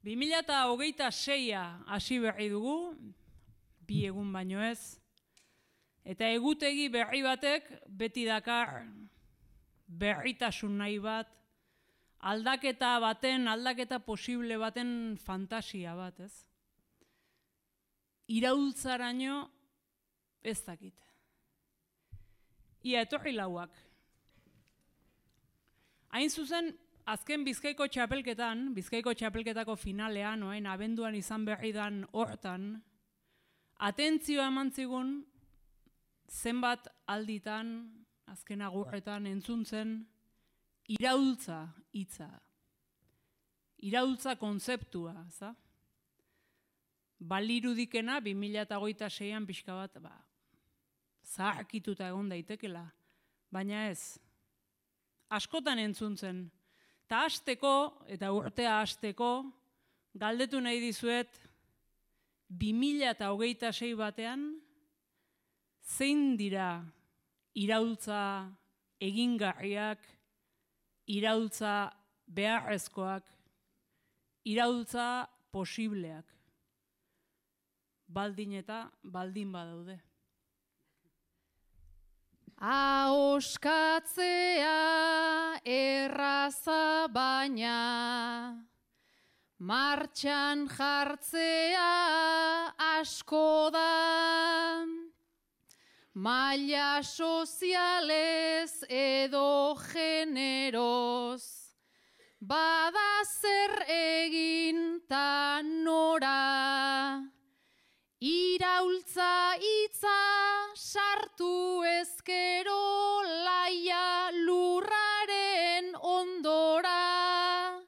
2026a hasi berri dugu, 2 egun baino ez, eta egutegi berri batek beti dakar berritasun nahi bat, aldaketa posible baten fantasia bat, ez? Iraultzaraino ez dakit. Ia etorri lauak. Hain zuzen, azken Bizkaiko txapelketako finalean, oain abenduan izan berri dan hortan, atentzioa eman zigun zenbat alditan, azken agurretan entzuntzen, iraultza hitza. Iraultza kontzeptua, za? Balirudikena 2026an pixka bat, zaharkituta egon daitekela, baina ez. Askotan entzuntzen, eta hasteko, eta urtea hasteko, galdetu nahi dizuet, 2026 batean, zein dira iraultza egingarriak, iraultza beharrezkoak, iraultza posibleak, baldin badaude. Ahoskatzea erraza baina, martxan jartzea asko da, maila sozialez edo generoz, bada zer egin ta nora, iraultza hitza sartu ezkero laia lurraren ondora,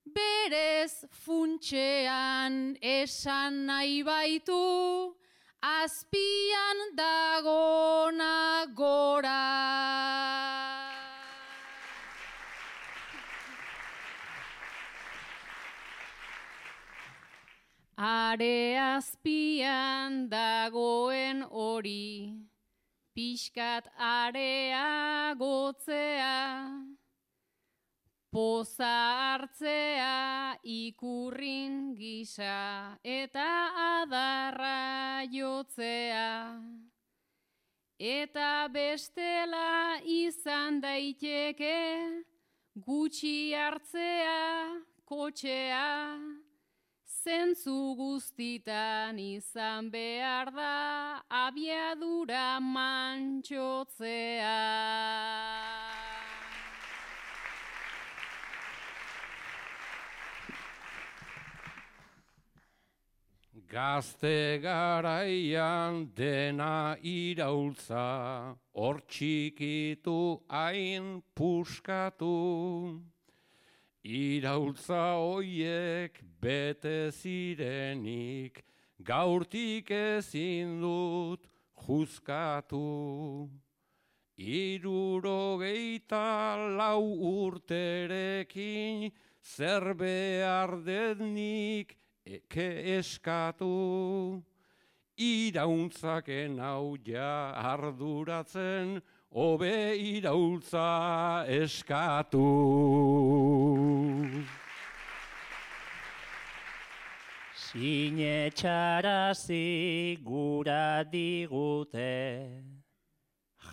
berez funtxean esan nahi baitu, azpian dagona gora. Are azpian dagoen hori, pixkat areagotzea, poza hartzea ikurrin gisa eta adarra jotzea. Eta bestela izan daiteke gutxi hartzea kotxea, zentzu guztitan izan behar da abiadura mantxotzea. Gazte garaian dena iraultza, hor txikitu hain puskatu. Iraultza hoiek bete zirenik, gaurtik ezin dut juzkatu. 64 urterekin zer behar dednik eskatu. Iraultzaken hau ja arduratzen, hobe iraultza eskatu. Sinetxarazi gura digute,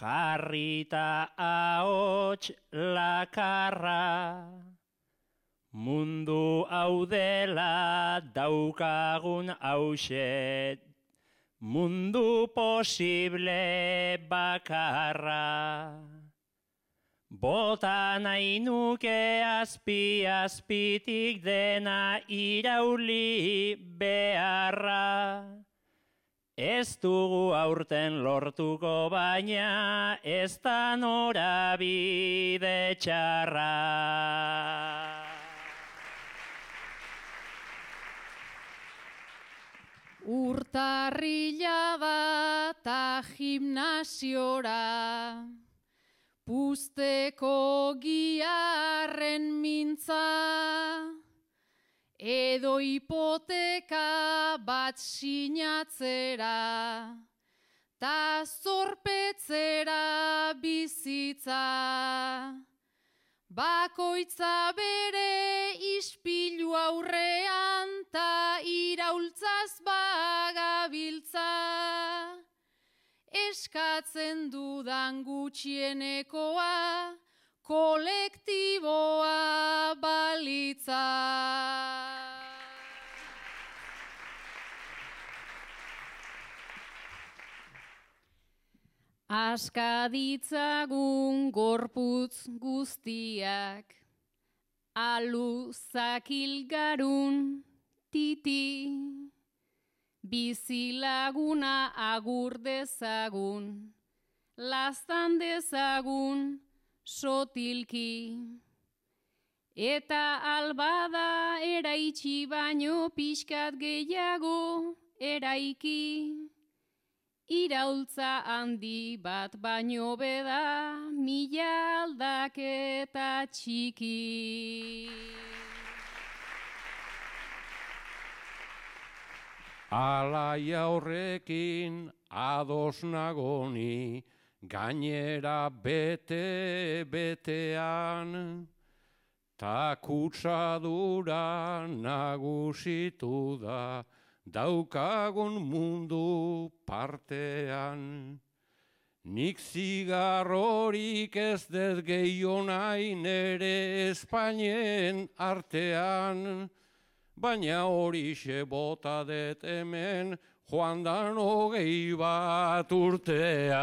jarrita ahots lakarra, mundu hau dela daukagun hauxe, mundu posible bakarra. Bota nahi nuke azpi-azpitik dena irauli beharra. Ez dugu aurten lortuko baina ez da norabide txarra. Urtarrila bata gimnasiora, puzteko giarren mintza, edo hipoteka bat sinatzera, ta zorpetzera bizitza. Bakoitza bere ispilu aurrean, Beraz bagabiltza, eskatzen dudan gutxienekoa, kolektiboa balitza. Aska ditzagun gorputz guztiak, alu zakilgarun titi, bizilaguna agur dezagun, laztan dezagun sotilki. Eta albada eraitsi baino pixkat gehiago eraiki, iraultza handi bat baino beda, mila aldaketa txiki. Alaia horrekin ados nagoni, gainera bete-betean, ta kutsadura nagusitu da, daukagun mundu partean. Nik zigarrorik ez dez gehiago nahi nere Espainien artean, baina horixe bota det hemen joan dan 21 urtean.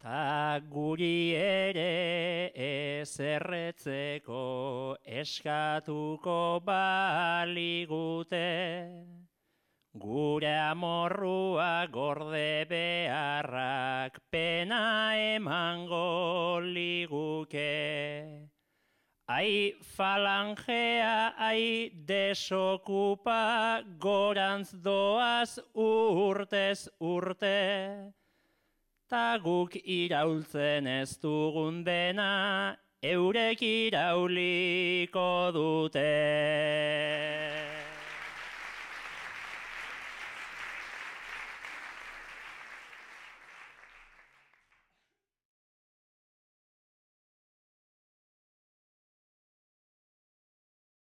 Ta guri ere ezerretzeko eskatuko baligute, gure amorrua gorde beharrak pena emango liguke. Ai falangea, ai desokupa, gorantz doaz urtez urte. Ta guk iraultzen ez dugun dena, eurek irauliko dute.